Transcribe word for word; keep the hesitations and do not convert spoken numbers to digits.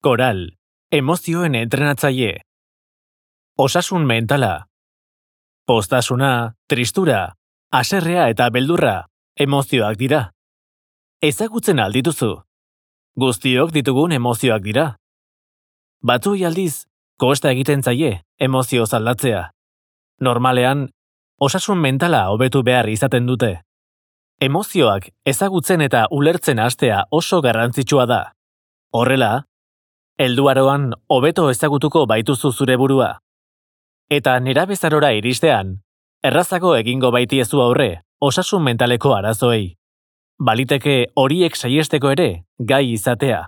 Koral, emozioen entrenatzaile. Osasun mentala. Poztasuna, tristura, haserrea eta beldurra emozioak dira. Ezagutzen aldituzu. Guztiok ditugun emozioak dira. Batzuei aldiz, kosta egiten zaie emozio aldatzea. Normalean, osasun mentala hobetu behar izaten dute. Emozioak ezagutzen eta ulertzen hastea oso garrantzitsua da. Horrela, helduaroan hobeto ezagutuko baituzu zure burua. Eta nerabezarora iristean, errazago egingo baitiezu aurre osasun mentaleko arazoei. Baliteke horiek saihesteko ere gai izatea.